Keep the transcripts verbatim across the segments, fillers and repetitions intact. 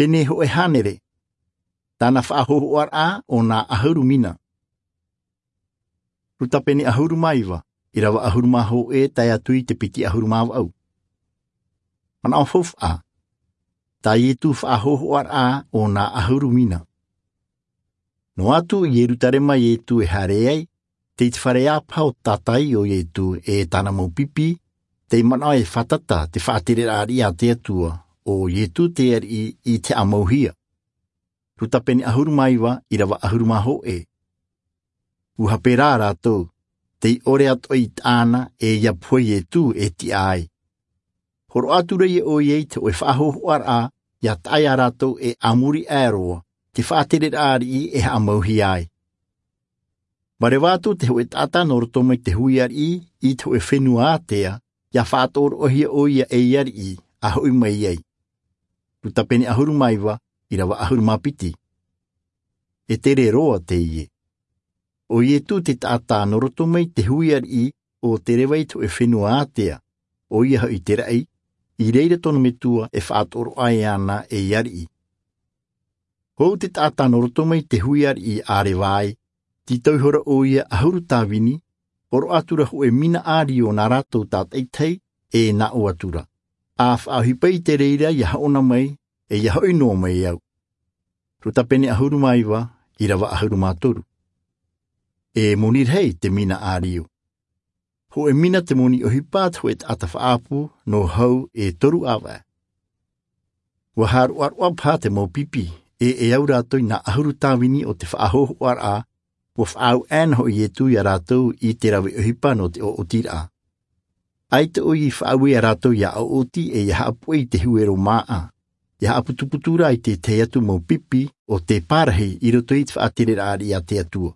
Pene hōʻē hānere. Tāna faʻahōhoʻaraʻa o nā ʻahuru mina. Luka pene ʻahuru mā iva, ʻirava ʻahuru mā hōʻē tae atu i te piti ʻahuru mā vaʻu. Manaʻo faufaʻa. Tā Ietu faʻahōhoʻaraʻa o nā ʻahuru mina. Noa atu i Ierutarema Ietu e haere ai, tei te fare ʻāpaha o te tātaʻi o Ietu e tāna mau pipi, tei manaʻo e fātata te faʻatereraʻa ariʻi a te Atua, ʻo Ietu te ariʻi i te haʻamauhia. Luka pene ʻahuru mā iva, ʻirava ʻahuru mā hōʻē. ʻUa hape rā rātou, tei ʻore atoʻa i tāna e ʻia pohe Ietu e tiʻa ai. Hōroʻa atu ra ʻoia i te hōʻē faʻahōhoʻaraʻa, ʻia taʻa ia rātou e a muri aʻe roa, te faʻatereraʻa ariʻi e haʻamauhia ai. Mā reira atu te hōʻē taʻata nō roto mai te hui ariʻi i te hōʻē fenua ātea, ʻia faʻatoroʻahia ʻoia ei ariʻi, a hoʻi mai ai. Luka pene ʻahuru mā iva, ʻirava ʻahuru mā piti. E tere roa teie. ʻO Ietu te taʻata nō roto mai te hui ariʻi o te reva i te hōʻē fenua ātea, ʻoia hoʻi te raʻi, i reira tōna metua e faʻatoroʻahia ana ei ariʻi. Hou te taʻata nō roto mai te hui ariʻi a reva ai, tītau ihora ʻoia ʻahuru tāvini, hōroʻa atu ra hōʻē mina ʻārio nā rātou tātaʻitahi, e nā ʻō atu ra. A faʻaʻohipa i te reira ʻia haʻona mai, e ʻia hoʻi noa mai au. Luka pene ʻahuru mā iva, ʻirava ʻahuru mā toru. E moni rahi te mina ʻārio. Hōʻē mina te moni ʻohipa a te hōʻē taʻata faʻaʻapu, nō hau e toru ʻāvaʻe. ʻUa haʻaroʻaroʻa paha te mau pipi, e e au rātou i nā ʻahuru tāvini o te faʻahōhoʻaraʻa, ʻua faʻaau aʻena hoʻi Ietu ia rātou i te rave ʻohipa nō te ʻoʻotiraʻa. ʻAita ʻoia i faʻaue ia rātou ʻia ʻoʻoti e ʻia haʻapuʻe i te huero māʻa, ʻia haʻaputuputu rā i te tahi atu mau pipi o te pārahi i roto i te faʻatereraʻa ariʻi a te Atua.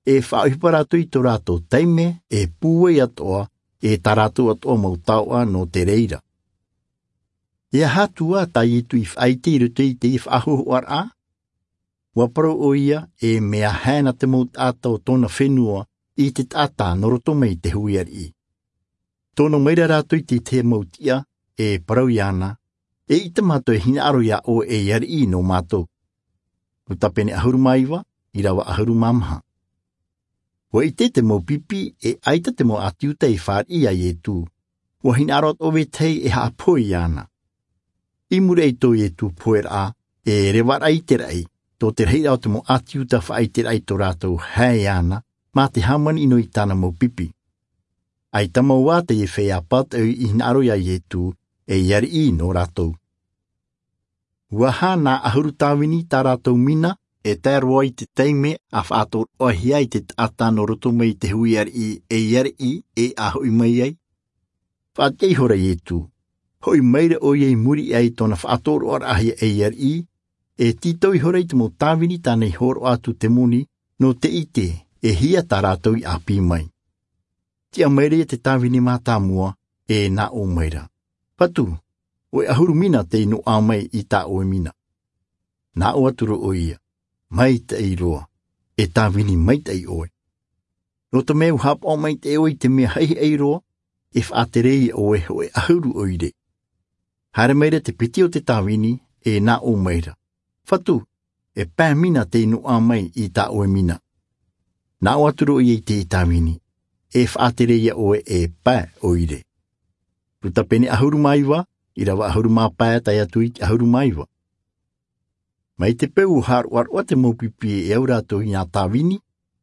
E faʻaʻohipa rātou i tō rātou taime, e pūai atoʻa, e tā rātou atoʻa mau taoʻa nō te reira. E aha atu ā tā Ietu i faʻaʻite i roto i teie faʻahōhoʻaraʻa? ʻUa parau ʻoia, e mea hae na te mau taʻata o tōna fenua i te taʻata nō roto mai te hui ariʻi. Tono mai ra rātou i te tahi mau tiʻa, e parau iāna, eʻita mātou e hinaʻaro ia ʻoe ei ariʻi nō mātou. Luka pene ʻahuru mā iva, ʻirava ʻahuru mā maha. ʻUa ʻite te mau pipi, e ʻaita te mau ʻāti Iuta i fāriʻi ia Ietu. ʻUa hinaʻaro atoʻa vetahi e haʻapohe iāna. I muri aʻe i tō Ietu poheraʻa, e revaraʻa i te raʻi, tō te rahiraʻa o te mau ʻāti Iuta faʻaʻiteraʻa i tō rātou hae iāna, mā te hāmani noa i tāna mau pipi. ʻAita mau ā teie feiā pātaʻi i hinaʻaro ia Ietu, ei ariʻi nō rātou. ʻUa aha nā ʻahuru tāvini tā rātou mina, e tae roa i te taime a faʻatoroʻahia ai te taʻata nō roto mai te hui ariʻi, ei ariʻi, e a hoʻi mai ai? Faʻatiʻa ihora Ietu. Hoʻi mai ra ʻoia i muri aʻe i tōna faʻatoroʻaraʻahia ei ariʻi, e tītau ihora i te mau tāvini tāna i hōroʻa atu te moni, nō te ʻite, e hia tā rātou i ʻāpī mai. Tiʻa mai ra ia te tāvini mātāmua, e nā ʻō mai ra. Fatu, hōʻē ʻahuru mina tei noaʻa mai i tā ʻoe mina. Nā ʻō atu ra ʻoia, maitaʻi roa, e tāvini maitaʻi ʻoe. Nō te mea ʻua haʻapaʻo maitaʻi ʻoe i te mea haʻihaʻi roa, e faʻatere ia ʻoe hōʻē ʻahuru ʻoire. Haere mai ra te piti o te tāvini, e nā ʻō mai ra. Fatu, e pae mina tei noaʻa mai i tā ʻoe mina. Nā ʻō atu ra ʻoia i te tāvini, e faʻatere ia ʻoe e pae ʻoire. Luka pene ʻahuru mā iva, ʻirava ʻahuru mā pae tae atu i te ʻahuru mā iva. Mai te peu ʻua haʻaroʻaroʻa te mau pipi e au rātou i nā tāvini,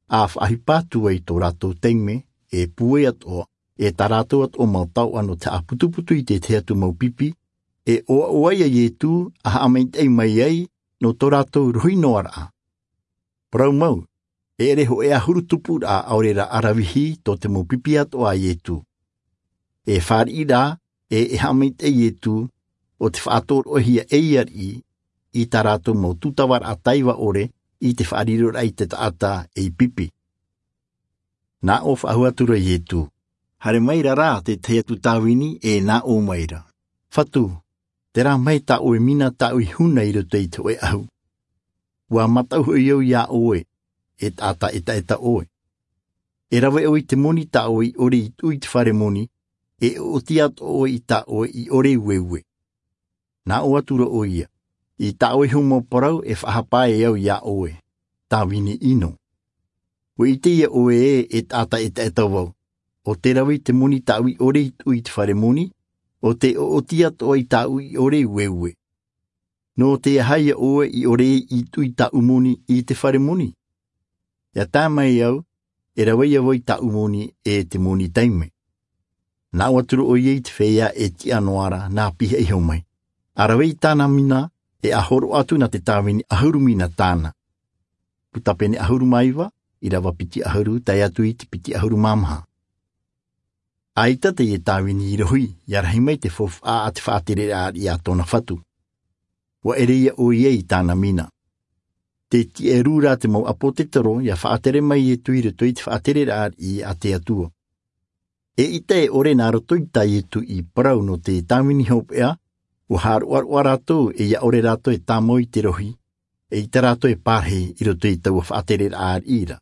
a faʻaʻohipa atu ai tō rātou taime, e pūai atoʻa, e tā rātou atoʻa mau taoʻa nō te haʻaputuputu i te tahi atu mau pipi, e ʻoaʻoa ia Ietu, a haʻamaitaʻi mai ai, nō tō rātou rohi noa raʻa. Parau mau, e ʻere hōʻē ʻahuru tupuraʻa ʻaore rā ʻaravihi tō te mau pipi atoʻa a Ietu. E fāriʻi rā, e, e haʻamaitaʻi Ietu, ʻo te faʻatoroʻahia ei ariʻi, i tā rātou mau tūtavaraʻa taiva ʻore, i te faʻariroraʻa i te taʻata ei pipi. Nā ʻō faʻahou atu ra Ietu. Haere mai ra rā te tahi atu tāvini e nā ʻō mai ra. Fatu, terā mai tā ʻoe mina tāʻu i huna i roto i te hōʻē ʻahu. ʻUa mataʻu hoʻi au ia ʻoe, e taʻata ʻetaʻeta ʻoe. E rave ʻoe i te moni tā ʻoe i ʻore i tuʻu i te fare moni, e ʻoʻoti atoʻa ʻoe i tā ʻoe i ʻore ueue. Nā ʻō atu ra ʻoia. I tāʻoe hou mau parau e faʻahapa ai au iā ʻoe, tāvini ʻino. Ua ʻite ia ʻoe ē, e taʻata ʻetaʻeta vau, ʻo te rave i te moni tāʻui ʻore i tuʻu i te fare moni, ʻo te ʻoʻoti atoʻa i tāʻui ʻore i ueue. Nō te aha ia ʻoe i ʻore i tuʻu i tāʻu moni i te fare moni? Ia tae mai au, e rave ia vau i tāʻu moni e te moni taime. Nā ʻō atu rā ʻoia i te feiā e tiʻa noa ra nā pihaʻi hau mai, a rave i tāna mina, e a horoʻa atu nā te tāvini ʻahuru mina tāna. Puta pene ʻahuru mā iva, ʻīrava piti ʻahuru tae atu i te piti ʻahuru mā maha. ʻAita teie tāvini i rohi, ia rahi mai te faufaʻa a te faʻatereraʻa ariʻi a tōna fatu. Ua ʻere ia ʻoia i tāna mina. Tē tiʻa rū rā te mau ʻāpōtetoro ia faʻatere mai Ietu i roto i te faʻatereraʻa ariʻi a te Atua. Eʻita e ʻore nā roto i tā Ietu i parau nō te tāvini hopeʻa, ua haʻaroʻaroʻa rātou e ia ʻore rātou e tāmau i te rohi, eʻita rātou e pārahi i roto i taua faʻatereraʻa ariʻi ra.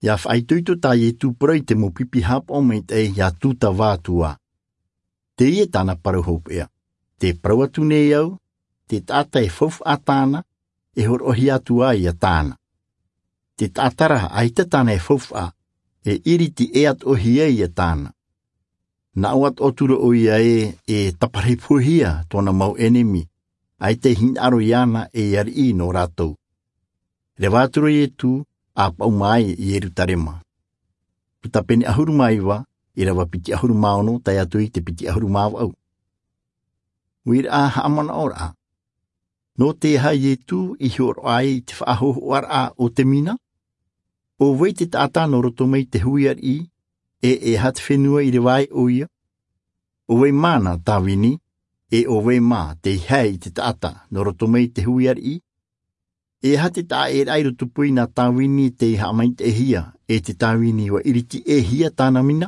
Ia faʻaitoito tā Ietu parau i te mau pipi haʻapaʻo maitaʻi ia Tūtava atu ā. Teie tāna parau hopeʻa. Tē parau atu nei au, te taʻata e faufaʻa tāna, e hōroʻahia atu ā ia tāna. Te taʻata rā ʻaita tāna e faufaʻa, e iriti ʻē atoʻahia ia tāna. Nā ʻō atoʻa atu rā ʻoia ē, e taparahi pohe hia tōna mau ʻenemi, ʻaita e hinaʻaro iāna ei ariʻi nō rātou. Reva atu rā Ietu, a paʻuma ai i Ierutarema. Puta pene ʻahuru mā iva, ʻīrava piti ʻahuru mā ono tae atu i te piti ʻahuru mā vaʻu. Uiraʻa haʻamanaʻoraʻa. Nō te aha Ietu i hōroʻa ai i te faʻahōhoʻaraʻa o te mina? ʻO vai te taʻata nō roto mai te hui ariʻi, e e aha te fenua i reva ai ʻoia? ʻO vai mā nā tāvini, e ʻo vai mā tei hae i te taʻata nō roto mai te hui ariʻi? E aha te taʻaʻēraʻa i rotopū i nā tāvini tei haʻamaitaʻihia, e te tāvini ua iriti ʻē hia tāna mina?